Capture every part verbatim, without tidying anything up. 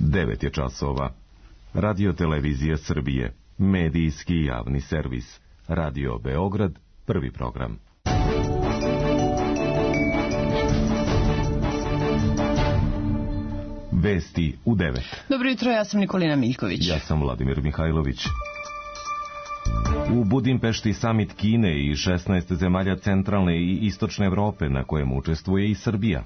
devet je časova. Radio Televizija Srbije, medijski javni servis. Radio Beograd, prvi program. Vesti u devet. Dobro jutro, ja sam Nikolina Miljković. Ja sam Vladimir Mihajlović. U Budimpešti samit Kine i šesnaest zemalja centralne i istočne Evrope, na kojem učestvuje i Srbija.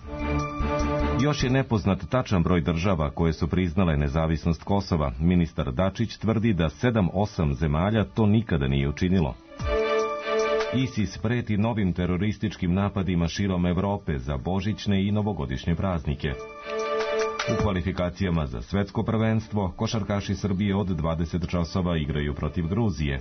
Još je nepoznat tačan broj država koje su priznale nezavisnost Kosova. Ministar Dačić tvrdi da sedam osam zemalja to nikada nije učinilo. ISIS preti novim terorističkim napadima širom Evrope za božićne i novogodišnje praznike. U kvalifikacijama za svetsko prvenstvo košarkaši Srbije od dvadeset časova igraju protiv Gruzije.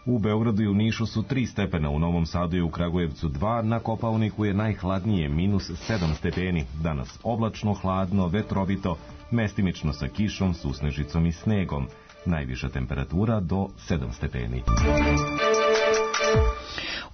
U Beogradu i u Nišu su tri stepena, u Novom Sadu i u Kragujevcu dva, na Kopaoniku je najhladnije, minus sedam stepeni. Danas oblačno, hladno, vetrovito, mestimično sa kišom, susnežicom i snegom. Najviša temperatura do sedam stepeni.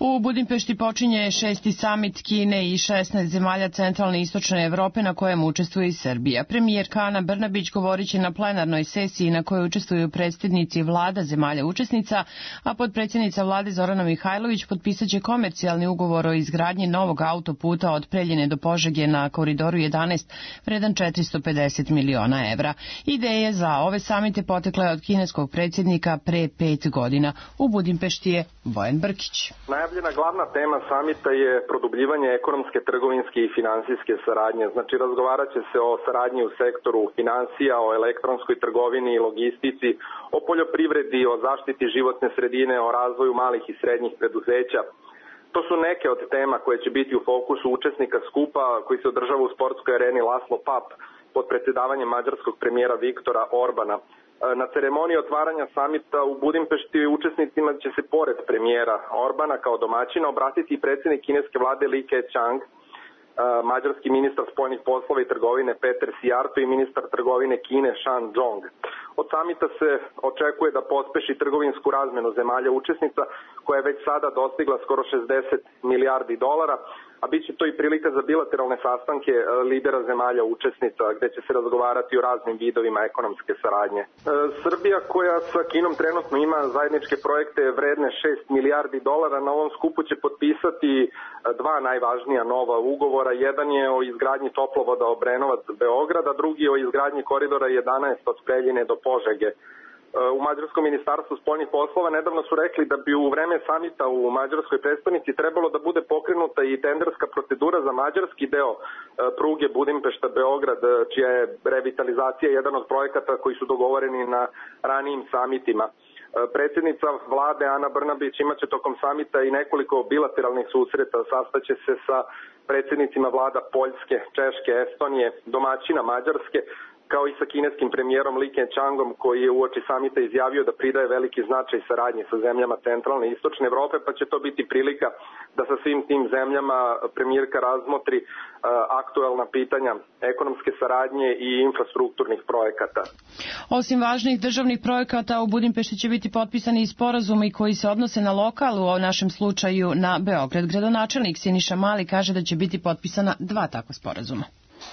U Budimpešti počinje šesti samit Kine i šesnaest zemalja centralne i istočne Evrope na kojem učestvuje i Srbija. Premijerka Ana Brnabić govorit će na plenarnoj sesiji na kojoj učestvuju predsjednici vlada zemalja učesnica, a potpredsjednica vlade Zorana Mihajlović potpisat će komercijalni ugovor o izgradnji novog autoputa od Preljine do Požege na koridoru jedanaest, vredan četiristo pedeset miliona evra. Ideje za ove samite potekla je od kineskog predsjednika pre pet godina. U Budimpešti je Bojan Brkić. Najavljena glavna tema samita je produbljivanje ekonomske, trgovinske i finansijske saradnje. Znači, razgovarat će se o saradnji u sektoru finansija, o elektronskoj trgovini i logistici, o poljoprivredi, o zaštiti životne sredine, o razvoju malih i srednjih preduzeća. To su neke od tema koje će biti u fokusu učesnika skupa koji se održava u sportskoj areni Laszlo Papp pod predsjedavanjem mađarskog premijera Viktora Orbana. Na ceremoniji otvaranja samita u Budimpešti učesnicima će se pored premijera Orbana kao domaćina obratiti i predsjednik kineske vlade Li Keqiang, mađarski ministar spoljnih poslova i trgovine Peter Szijjártó i ministar trgovine Kine Shan Zhong. Od samita se očekuje da pospeši trgovinsku razmenu zemalja učesnica koja je već sada dostigla skoro šezdeset milijardi dolara, a bit će to i prilika za bilateralne sastanke lidera zemalja učesnica gde će se razgovarati o raznim vidovima ekonomske saradnje. Srbija, koja sa Kinom trenutno ima zajedničke projekte vredne šest milijardi dolara, na ovom skupu će potpisati dva najvažnija nova ugovora. Jedan je o izgradnji toplovoda Obrenovac-Beograd, a drugi o izgradnji koridora jedanaest od Preljine do Požege. U Mađarskom ministarstvu spoljnih poslova nedavno su rekli da bi u vreme samita u mađarskoj prestonici trebalo da bude pokrenuta i tenderska procedura za mađarski deo pruge Budimpešta-Beograd, čija je revitalizacija jedan od projekata koji su dogovoreni na ranijim samitima. Predsjednica vlade Ana Brnabić imaće tokom samita i nekoliko bilateralnih susreta, sastaće se sa predsjednicima vlada Poljske, Češke, Estonije, domaćina Mađarske, kao i sa kineskim premijerom Li Keqiangom, koji je uoči samita izjavio da pridaje veliki značaj saradnji sa zemljama centralne i istočne Evrope, pa će to biti prilika da sa svim tim zemljama premijerka razmotri uh, aktuelna pitanja ekonomske saradnje i infrastrukturnih projekata. Osim važnih državnih projekata, u Budimpešti će biti potpisani i sporazumi koji se odnose na lokal, u našem slučaju na Beograd. Gradonačelnik Siniša Mali kaže da će biti potpisana dva takva sporazuma.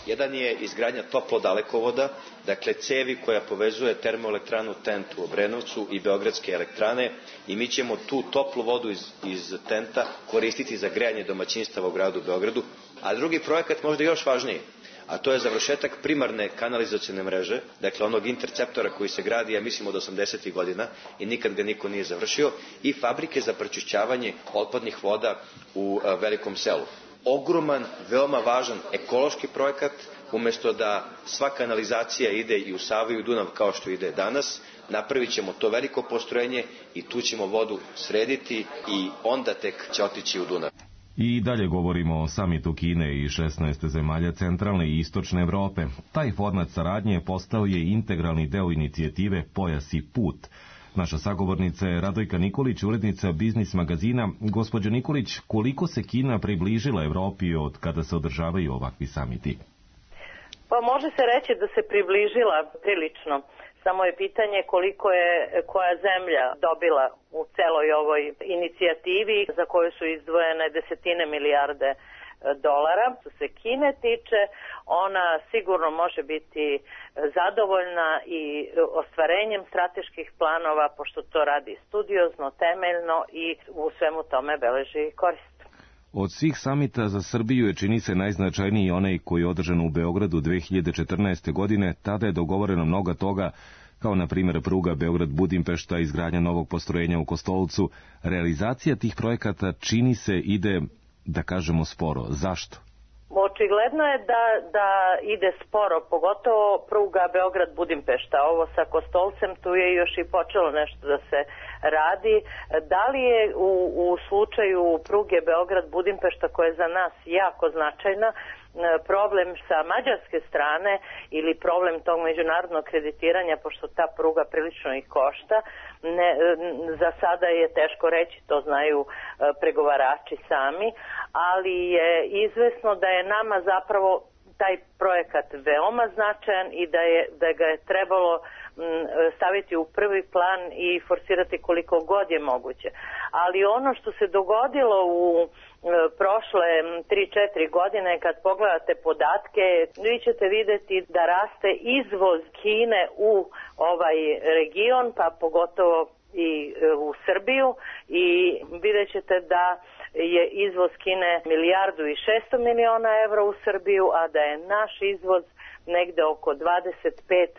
Jedan je izgradnja toplodalekovoda, dakle cevi koja povezuje termoelektranu Tent u Obrenovcu i Beogradske elektrane, i mi ćemo tu toplu vodu iz, iz Tenta koristiti za grejanje domaćinstava u gradu Beogradu. A drugi projekat, možda još važniji, a to je završetak primarne kanalizacione mreže, dakle onog interceptora koji se gradi, ja mislim, od osamdesetih godina i nikad ga niko nije završio, i fabrike za pročišćavanje otpadnih voda u a, Velikom Selu. Ogroman, veoma važan ekološki projekat, umjesto da sva kanalizacija ide i u Savu i u Dunav kao što ide danas, napravit ćemo to veliko postrojenje i tu ćemo vodu srediti i onda tek će otići u Dunav. I dalje govorimo o samitu Kine i šesnaest zemalja centralne i istočne Evrope. Taj format saradnje postao je integralni deo inicijative Pojas i put. Naša sagovornica je Radojka Nikolić, urednica Biznis magazina. Gospođo Nikolić, koliko se Kina približila Evropi od kada se održavaju ovakvi samiti? Pa može se reći da se približila prilično. Samo je pitanje koliko je koja zemlja dobila u celoj ovoj inicijativi za koju su izdvojene desetine milijarde dolara. Što se Kine tiče, ona sigurno može biti zadovoljna i ostvarenjem strateških planova, pošto to radi studiozno, temeljno i u svemu tome beleži korist. Od svih samita za Srbiju je, čini se, najznačajniji onaj koji je održan u Beogradu dve hiljade četrnaeste. godine. Tada je dogovoreno mnogo toga, kao na primjer pruga Beograd-Budimpešta, izgradnja novog postrojenja u Kostolcu. Realizacija tih projekata, čini se, ide, da kažemo, sporo. Zašto? Očigledno je da, da ide sporo, pogotovo pruga Beograd-Budimpešta. Ovo sa Kostolcem, tu je još i počelo nešto da se radi. Da li je u, u slučaju pruge Beograd-Budimpešta, koja je za nas jako značajna, problem sa mađarske strane ili problem tog međunarodnog kreditiranja, pošto ta pruga prilično ih košta, ne, za sada je teško reći, to znaju pregovarači sami, ali je izvesno da je nama zapravo taj projekat veoma značajan i da, je, da ga je trebalo staviti u prvi plan i forsirati koliko god je moguće. Ali ono što se dogodilo u prošle tri četiri godine, kad pogledate podatke, vi ćete vidjeti da raste izvoz Kine u ovaj region, pa pogotovo i u Srbiju, i vidjet ćete da je izvoz Kine milijardu i šesto miliona evra u Srbiju, a da je naš izvoz negde oko dvadeset pet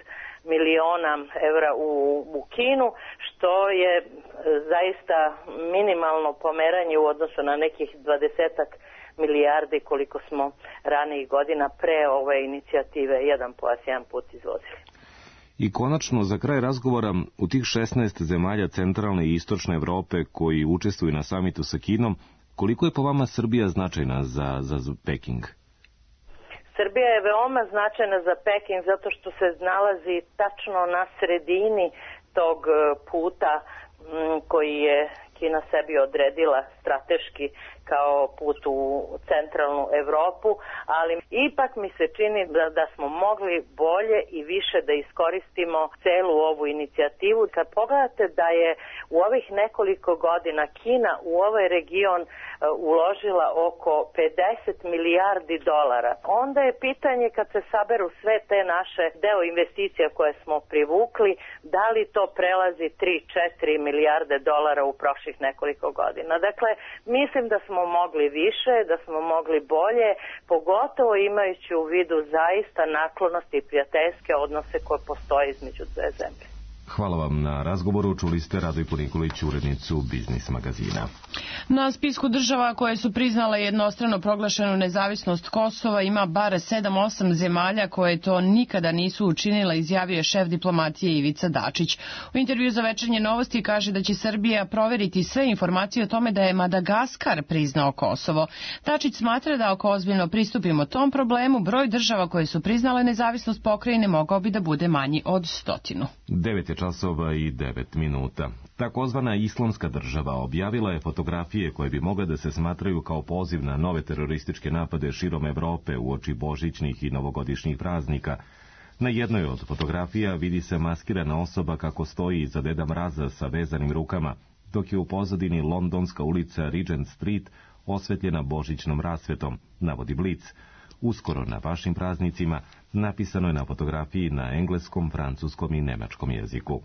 miliona evra u, u Kinu, što je zaista minimalno pomeranje u odnosu na nekih dvadesetak milijardi koliko smo ranijih godina pre ove inicijative jedan pojas, jedan put izvozili. I konačno, za kraj razgovora, u tih šesnaest zemalja centralne i istočne Evrope koji učestvuju na samitu sa Kinom, koliko je po vama Srbija značajna za, za Peking? Srbija je veoma značajna za Peking zato što se nalazi tačno na sredini tog puta koji je Kina sebi odredila strateški kao put u centralnu Evropu, ali ipak mi se čini da, da smo mogli bolje i više da iskoristimo celu ovu inicijativu. Kad pogledate da je u ovih nekoliko godina Kina u ovaj region uh, uložila oko pedeset milijardi dolara, onda je pitanje, kad se saberu sve te naše deo investicija koje smo privukli, da li to prelazi tri do četiri milijarde dolara u prošlih nekoliko godina. Dakle, mislim da smo mogli više, da smo mogli bolje, pogotovo imajući u vidu zaista naklonosti i prijateljske odnose koje postoje između dve zemlje. Hvala vam na razgovoru. Čuli ste Radojku Nikolić, urednicu Biznis magazina. Na spisku država koje su priznale jednostrano proglašenu nezavisnost Kosova ima bar sedam osam zemalja koje to nikada nisu učinile, izjavio je šef diplomatije Ivica Dačić. U intervju za Večernje novosti kaže da će Srbija proveriti sve informacije o tome da je Madagaskar priznao Kosovo. Dačić smatra da ako ozbiljno pristupimo tom problemu, broj država koje su priznale nezavisnost pokrajine mogao bi da bude manji od stotinu. devet je časova i devet minuta. Takozvana Islamska država objavila je fotografije koje bi mogle da se smatraju kao poziv na nove terorističke napade širom Evrope uoči božićnih i novogodišnjih praznika. Na jednoj od fotografija vidi se maskirana osoba kako stoji iza Deda Mraza sa vezanim rukama, dok je u pozadini londonska ulica Regent Street osvetljena božićnom rasvetom, navodi Blic. Uskoro na vašim praznicima napisano je na fotografiji na engleskom, francuskom i nemačkom jeziku.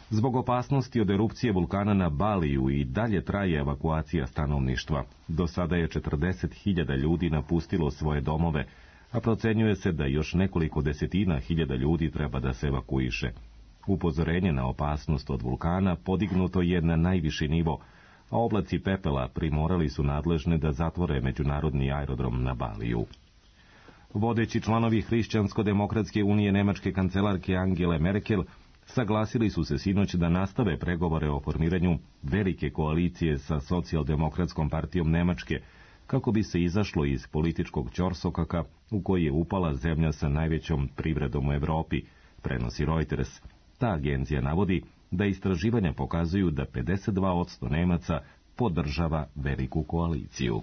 Zbog opasnosti od erupcije vulkana na Baliju i dalje traje evakuacija stanovništva. Do sada je četrdeset hiljada ljudi napustilo svoje domove, a procenjuje se da još nekoliko desetina hiljada ljudi treba da se evakuiše. Upozorenje na opasnost od vulkana podignuto je na najviši nivo, a oblaci pepela primorali su nadležne da zatvore međunarodni aerodrom na Baliju. Vodeći članovi Hrišćansko-demokratske unije nemačke kancelarke Angele Merkel saglasili su se sinoć da nastave pregovore o formiranju velike koalicije sa socijaldemokratskom partijom Nemačke, kako bi se izašlo iz političkog ćorsokaka u koji je upala zemlja sa najvećom privredom u Evropi, prenosi Reuters. Ta agencija navodi da istraživanja pokazuju da pedeset dva posto Nemaca podržava veliku koaliciju.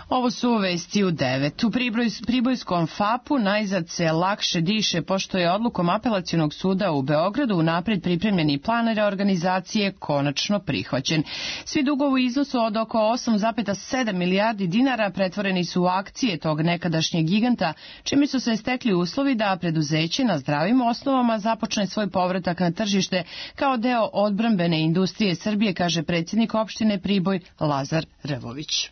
Ovo su vesti u devet. U Priboj, Pribojskom fapu najzad se lakše diše pošto je odlukom Apelacionog suda u Beogradu unapred pripremljeni plan reorganizacije konačno prihvaćen. Svi dugovi u iznosu od oko osam zarez sedam milijardi dinara pretvoreni su u akcije tog nekadašnjeg giganta, čime su se stekli uslovi da preduzeće na zdravim osnovama započne svoj povratak na tržište kao deo odbrambene industrije Srbije, kaže predsjednik opštine Priboj Lazar Revović.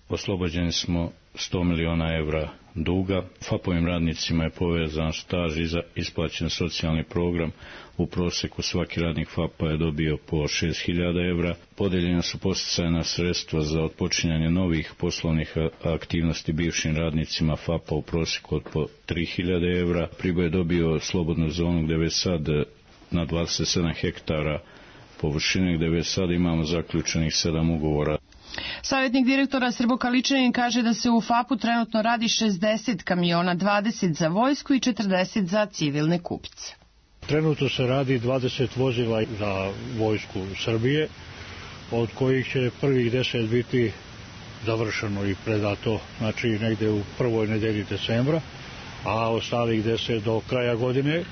Oslobođeni smo sto miliona evra duga. Fapovim radnicima je povezan staž i isplaćen socijalni program. U proseku svaki radnik Fapa je dobio po šest hiljada evra. Podeljena su podsticajna sredstva za otpočinjanje novih poslovnih aktivnosti bivšim radnicima Fapa u proseku od po tri hiljade evra. Priboj je dobio slobodnu zonu gde već sad na dvadeset sedam hektara površine, gde već sad imamo zaključenih sedam ugovora. Savjetnik direktora Srbokaličanin kaže da se u fapu trenutno radi šezdeset kamiona, dvadeset za vojsku i četrdeset za civilne kupce. Trenutno se radi dvadeset vozila za vojsku Srbije, od kojih će prvih deset biti završeno i predato, znači negde u prvoj nedelji decembra, a ostalih deset do kraja godine.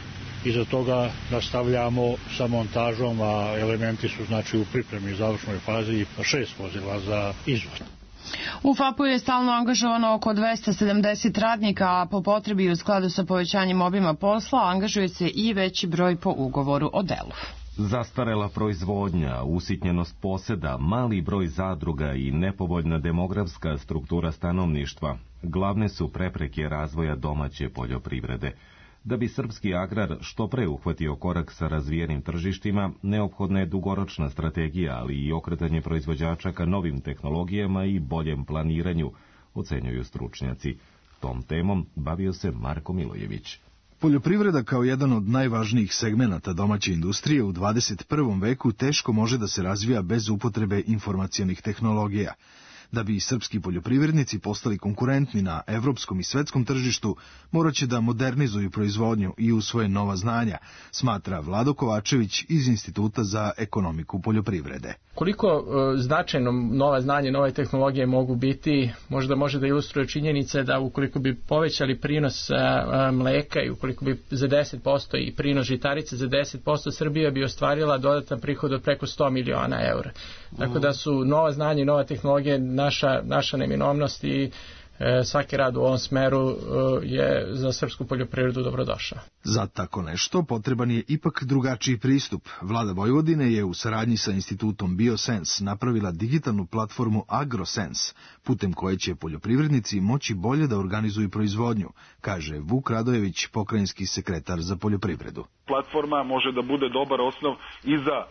Iza toga nastavljamo sa montažom, a elementi su znači u pripremi završnoj fazi i šest vozila za izvoz. U fapu je stalno angažovano oko dvesta sedamdeset radnika, a po potrebi u skladu sa povećanjem obima posla angažuje se i veći broj po ugovoru o delu. Zastarela proizvodnja, usitnjenost poseda, mali broj zadruga i nepovoljna demografska struktura stanovništva glavne su prepreke razvoja domaće poljoprivrede. Da bi srpski agrar što pre uhvatio korak sa razvijenim tržištima, neophodna je dugoročna strategija, ali i okretanje proizvođača ka novim tehnologijama i boljem planiranju, ocenjuju stručnjaci. Tom temom bavio se Marko Milojević. Poljoprivreda kao jedan od najvažnijih segmenata domaće industrije u dvadeset prvom veku teško može da se razvija bez upotrebe informacionih tehnologija. Da bi srpski poljoprivrednici postali konkurentni na evropskom i svetskom tržištu, morat će da modernizuju proizvodnju i usvoje nova znanja, smatra Vlado Kovačević iz Instituta za ekonomiku poljoprivrede. Koliko e, značajno nova znanja, nove tehnologije mogu biti, možda može da ilustruje činjenice da ukoliko bi povećali prinos e, mleka i ukoliko bi za deset posto i prinos žitarice za deset posto, Srbija bi ostvarila dodatan prihod od preko sto miliona eura. Tako da su nova znanja i nova tehnologija naša, naša neminovnost i e, svaki rad u ovom smeru e, je za srpsku poljoprivredu dobrodošao. Za tako nešto potreban je ipak drugačiji pristup. Vlada Vojvodine je u saradnji sa institutom BioSense napravila digitalnu platformu AgroSense, putem koje će poljoprivrednici moći bolje da organizuju proizvodnju, kaže Vuk Radojević, pokrajinski sekretar za poljoprivredu. Platforma može da bude dobar osnov i za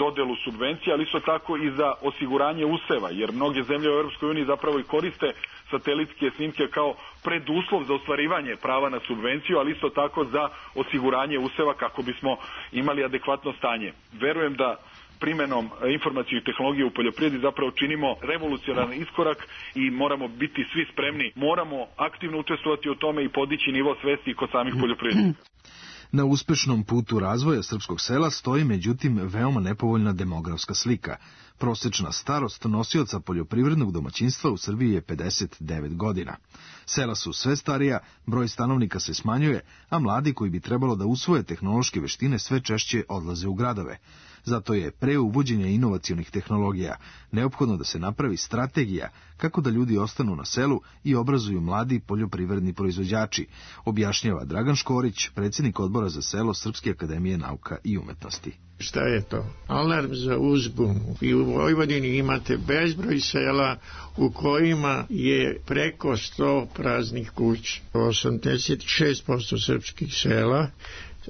dodelu subvencija, ali isto tako i za osiguranje useva, jer mnoge zemlje u Europskoj uniji zapravo i koriste satelitske snimke kao preduslov za ostvarivanje prava na subvenciju, ali isto tako za osiguranje useva kako bismo imali adekvatno stanje. Verujem da primenom informacijnih tehnologija u poljoprivredi zapravo činimo revolucionarni iskorak i moramo biti svi spremni. Moramo aktivno učestvovati u tome i podići nivo svesti kod samih poljoprivrednika. Na uspešnom putu razvoja srpskog sela stoji međutim veoma nepovoljna demografska slika. Prosečna starost nosioca poljoprivrednog domaćinstva u Srbiji je pedeset devet godina. Sela su sve starija, broj stanovnika se smanjuje, a mladi koji bi trebalo da usvoje tehnološke veštine sve češće odlaze u gradove. Zato je pre uvođenja inovacionih tehnologija neophodno da se napravi strategija kako da ljudi ostanu na selu i obrazuju mladi poljoprivredni proizvođači, objašnjava Dragan Škorić, predsjednik odbora za selo Srpske akademije nauka i umetnosti. Šta je to? Alarm za uzbunu. I u Vojvodini imate bezbroj sela u kojima je preko sto praznih kuća. osamdeset šest posto srpskih sela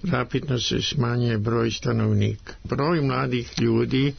rapidno se smanjuje broj stanovnika. Broj mladih ljudi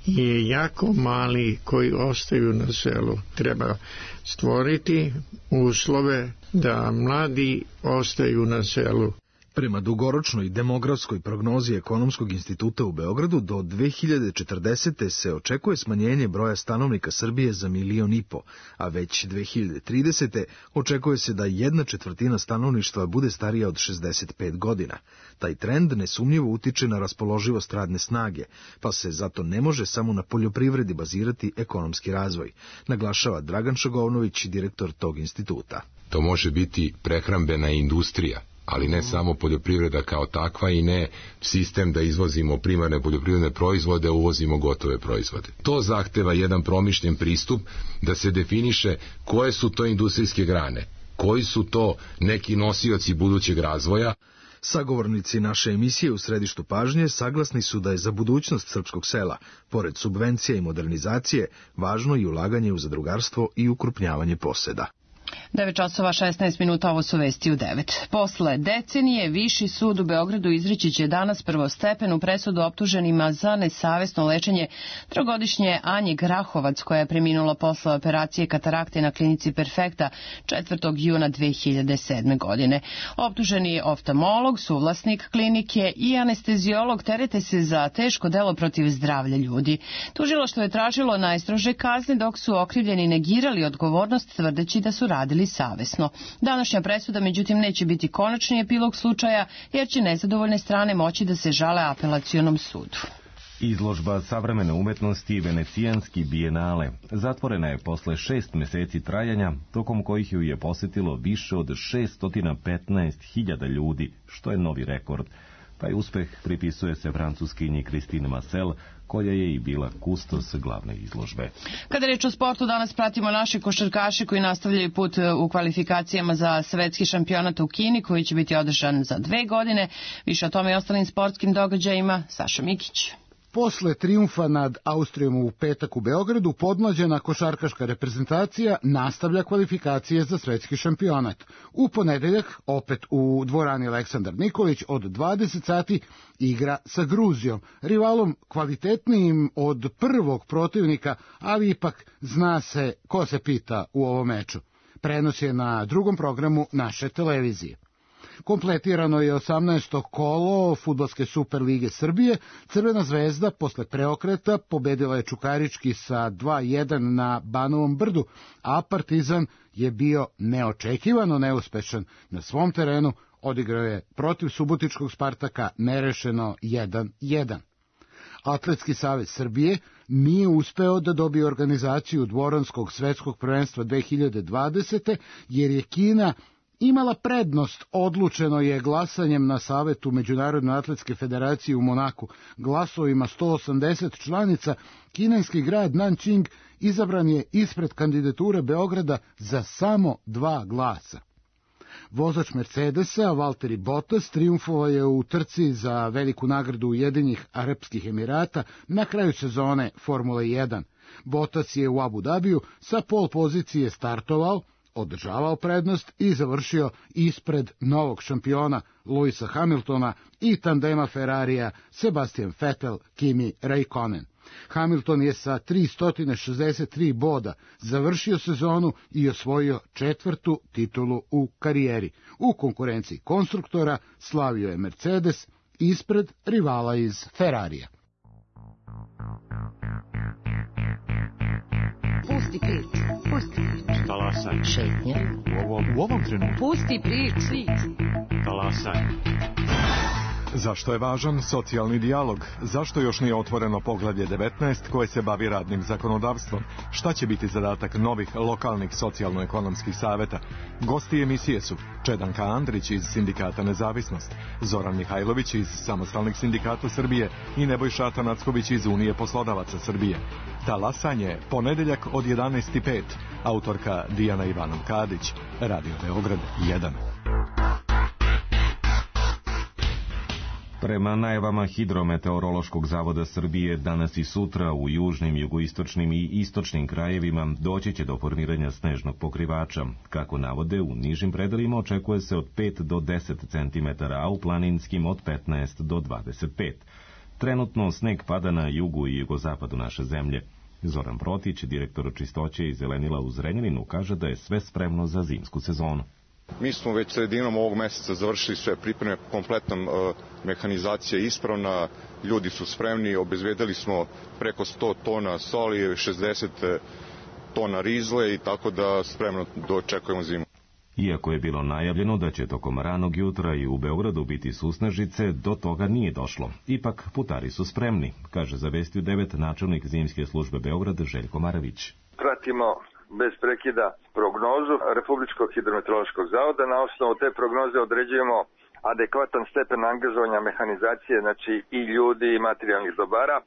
je jako mali koji ostaju na selu. Treba stvoriti uslove da mladi ostaju na selu. Prema dugoročnoj demografskoj prognozi Ekonomskog instituta u Beogradu, do dve hiljade četrdesete. se očekuje smanjenje broja stanovnika Srbije za milion i po, a već dve hiljade tridesete. očekuje se da jedna četvrtina stanovništva bude starija od šezdeset pet godina. Taj trend nesumnjivo utiče na raspoloživost radne snage, pa se zato ne može samo na poljoprivredi bazirati ekonomski razvoj, naglašava Dragan Šagovnović, direktor tog instituta. To može biti prehrambena industrija, ali ne samo poljoprivreda kao takva i ne sistem da izvozimo primarne poljoprivredne proizvode, a uvozimo gotove proizvode. To zahteva jedan promišljen pristup da se definiše koje su to industrijske grane, koji su to neki nosioci budućeg razvoja. Sagovornici naše emisije u središtu pažnje saglasni su da je za budućnost srpskog sela, pored subvencija i modernizacije, važno i ulaganje u zadrugarstvo i ukrupnjavanje poseda. devet časova šesnaest minuta, ovo su vesti u devet. Posle decenije, Viši sud u Beogradu izreći će danas prvostepenu presudu optuženima za nesavesno lečenje trogodišnje Anje Grahovac, koja je preminula posle operacije katarakte na klinici Perfekta četvrtog juna dve hiljade sedme. godine. Optuženi oftalmolog, suvlasnik klinike i anesteziolog terete se za teško delo protiv zdravlja ljudi. Tužilaštvo je tražilo najstrože kazne, dok su okrivljeni negirali odgovornost, tvrdeći da su radili savesno. Današnja presuda, međutim, neće biti konačni epilog slučaja, jer će nezadovoljne strane moći da se žale apelacionom sudu. Izložba savremene umetnosti Venecijanski bijenale zatvorena je posle šest meseci trajanja, tokom kojih ju je posetilo više od šeststo petnaest hiljada ljudi, što je novi rekord. Taj uspeh pripisuje se francuskinji Christine Marcel, koja je i bila kustos glavne izložbe. Kada reč o sportu, danas pratimo naše košarkaše koji nastavljaju put u kvalifikacijama za svetski šampionat u Kini, koji će biti održan za dve godine. Više o tome i ostalim sportskim događajima, Saša Mikić. Posle trijumfa nad Austrijom u petak u Beogradu, podmlađena košarkaška reprezentacija nastavlja kvalifikacije za svetski šampionat. U ponedeljak, opet u dvorani Aleksandar Nikolić, od dvadeset sati igra sa Gruzijom, rivalom kvalitetnijim od prvog protivnika, ali ipak zna se ko se pita u ovom meču. Prenos je na drugom programu naše televizije. Kompletirano je osamnaesto kolo Fudbalske Super lige Srbije. Crvena zvezda posle preokreta pobedila je Čukarički sa dva jedan na Banovom Brdu, a Partizan je bio neočekivano neuspešan na svom terenu, odigrao je protiv Subotičkog Spartaka nerešeno jedan jedan. Atletski savez Srbije nije uspeo da dobije organizaciju Dvoranskog svetskog prvenstva dve hiljade dvadesete. jer je Kina imala prednost, odlučeno je glasanjem na Savetu Međunarodne atletske federacije u Monaku. Glasovima sto osamdeset članica, kineski grad Nanjing izabran je ispred kandidature Beograda za samo dva glasa. Vozač Mercedesa, Valtteri Bottas, trijumfovao je u trci za veliku nagradu Ujedinjenih Arapskih Emirata na kraju sezone Formule jedan. Bottas je u Abu Dabiju sa pol pozicije startovao, održavao prednost i završio ispred novog šampiona Lewisa Hamiltona i tandema Ferrarija Sebastian Vettel, Kimi Räikkönen. Hamilton je sa tristo šezdeset tri boda završio sezonu i osvojio četvrtu titulu u karijeri. U konkurenciji konstruktora slavio je Mercedes ispred rivala iz Ferrarija. Pusti priču, pusti priču. Talasaj. Šetnja. U ovom, u ovom trenutku. Pusti priču. Talasaj. Zašto je važan socijalni dijalog? Zašto još nije otvoreno poglavlje devetnaest koje se bavi radnim zakonodavstvom? Šta će biti zadatak novih lokalnih socijalno-ekonomskih saveta? Gosti emisije su Čedanka Andrić iz Sindikata Nezavisnost, Zoran Mihajlović iz Samostalnih sindikata Srbije i Nebojša Atanacković iz Unije poslodavaca Srbije. Talasanje, ponedeljak od jedanaest i pet. Autorka Dijana Ivanov Kadić. Radio Beograd jedan. Prema najavama Hidrometeorološkog zavoda Srbije, danas i sutra u južnim, jugoistočnim i istočnim krajevima doći će do formiranja snežnog pokrivača. Kako navode, u nižim predelima očekuje se od pet do deset centimetara, a u planinskim od petnaest do dvadeset pet. Trenutno sneg pada na jugu i jugozapadu naše zemlje. Zoran Protić, direktor čistoće i zelenila u Zrenjaninu, kaže da je sve spremno za zimsku sezonu. Mi smo već sredinom ovog meseca završili sve pripreme, kompletna uh, mehanizacija je ispravna, ljudi su spremni, obezbedili smo preko sto tona soli, šezdeset tona rizle i tako da spremno dočekujemo zimu. Iako je bilo najavljeno da će tokom ranog jutra i u Beogradu biti susnežice, do toga nije došlo. Ipak putari su spremni, kaže za Vesti u devet načelnik zimske službe Beograd Željko Maravić. Pratimo bez prekida prognozu Republičkog hidrometeorološkog zavoda. Na osnovu te prognoze određujemo adekvatan stepen angažovanja mehanizacije, znači i ljudi i materijalnih dobara.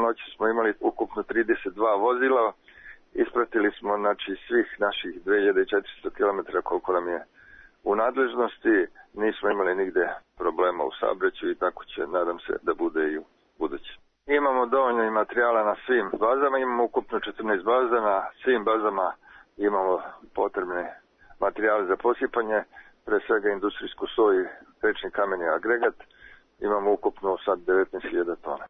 Noći smo imali ukupno trideset dva vozila. Ispratili smo znači svih naših dve hiljade četiristo kilometara koliko nam je u nadležnosti. Nismo imali nigde problema u saobraćaju i tako će, nadam se, da bude i u budući. Imamo dovoljno i materijala na svim bazama, imamo ukupno četrnaest baza, na svim bazama imamo potrebne materijale za posipanje, pre svega industrijsku soju, tečni kamen i agregat, imamo ukupno sad devetnaest hiljada tona.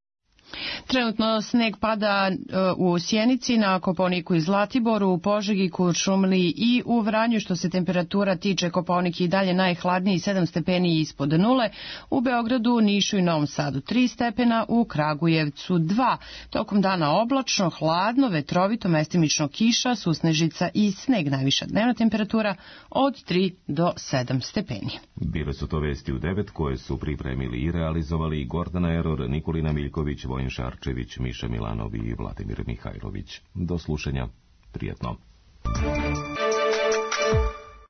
Trenutno sneg pada u Sjenici, na Kopaoniku i Zlatiboru, u Požegi, Kuršumliji i u Vranju. Što se temperatura tiče, Kopaonik i dalje najhladniji, sedam stepeni ispod nule. U Beogradu, Nišu i Novom Sadu tri stepena, u Kragujevcu dva. Tokom dana oblačno, hladno, vetrovito, mestimično kiša, susnežica i sneg. Najviša dnevna temperatura od tri do sedam stepeni. Bile su to Vesti u devet koje su pripremili i realizovali Gordana Eror, Nikolina Miljković, Vojin Šarčević, Miša Milanov i Vladimir Mihajlović. Do slušanja. Prijetno.